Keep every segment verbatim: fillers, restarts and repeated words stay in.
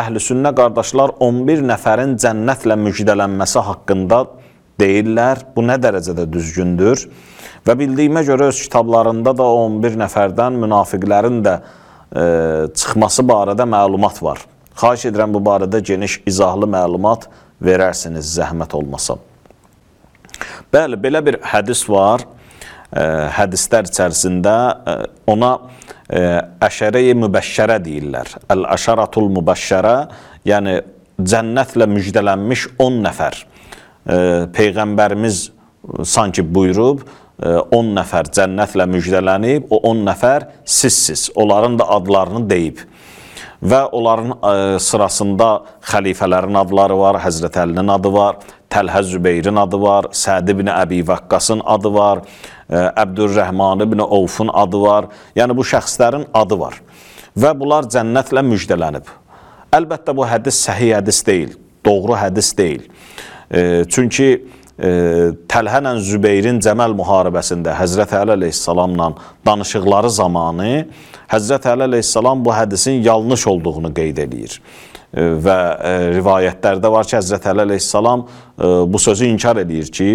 əhl-i-sünnə qardaşlar on bir nəfərin cənnətlə müjdələnməsi haqqında deyirlər. Bu nə dərəcədə düzgündür? Və bildiyimə görə öz kitablarında da on bir nəfərdən münafiqlərin də e, çıxması barədə məlumat var. Xahiş edirəm bu barədə geniş, izahlı məlumat verərsiniz, zəhmət olmasa. Bəli, belə bir hədis var. E, hədislər içərisində e, ona e, əşərə-i mübəşşərə deyirlər. Əl-əşəratul mübəşşərə, yəni cənnətlə müjdələnmiş on nəfər. E, Peyğəmbərimiz sanki buyurub, on nəfər cənnətlə müjdələnib, o on nəfər sizsiz, onların da adlarını deyib. Və onların sırasında xəlifələrin adları var, Həzrət Əlinin adı var, Təlhə Zübeyrin adı var, Səd ibn Əbi Vəqqasın adı var, Əbdürrəhman ibn Ovfun adı var. Yəni bu şəxslərin adı var. Və bunlar cənnətlə müjdələnib. Əlbəttə bu hədis səhih hədis deyil, doğru hədis deyil. Çünki E, Təlhə ilə Zübeyrin Cəməl müharibəsində Həzrət Əli əleyhissalamla danışıqları zamanı Həzrət Əli əleyhissalam bu hədisin yanlış olduğunu qeyd edir. E, və e, rivayətlərdə var ki, Həzrət Əli əleyhissalam e, bu sözü inkar edir ki,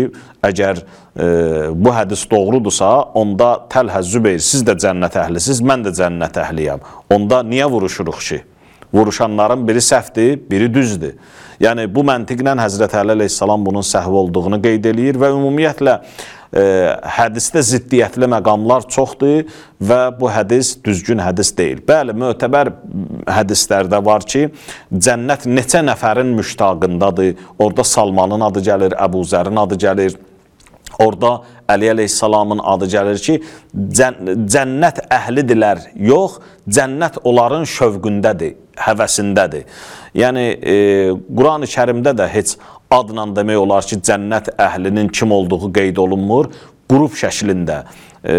əgər e, bu hədis doğrudursa, onda Təlhə, Zübeyir, siz də cənnət əhlisiniz, mən də cənnət əhliyəm. Onda niyə vuruşuruq ki? Vuruşanların biri səhvdir, biri düzdür. Yəni, bu məntiqlə Həzrət Əli əleyhissalam bunun səhv olduğunu qeyd edir və ümumiyyətlə e, hədisdə ziddiyyətli məqamlar çoxdur və bu hədis düzgün hədis deyil. Bəli, mötəbər hədislərdə var ki, cənnət neçə nəfərin müştaqındadır. Orada Salmanın adı gəlir, Əbu Zərin adı gəlir. Orada Əli əleyhissalamın adı gəlir ki, cənnət əhlidirlər, yox, cənnət onların şövqündədir, həvəsindədir. Yəni, e, Quran-ı Kərimdə də heç adla demək olar ki, cənnət əhlinin kim olduğu qeyd olunmur. Qrup şəklində e,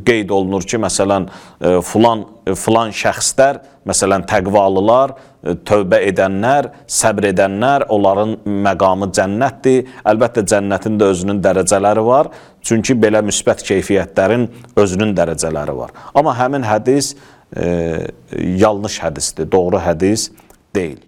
qeyd olunur ki, məsələn, e, filan, filan şəxslər, məsələn, təqvalılar, e, tövbə edənlər, səbr edənlər, onların məqamı cənnətdir. Əlbəttə, cənnətin də özünün dərəcələri var. Çünki belə müsbət keyfiyyətlərin özünün dərəcələri var. Amma həmin hədis e, yanlış hədisdir, doğru hədis deyil.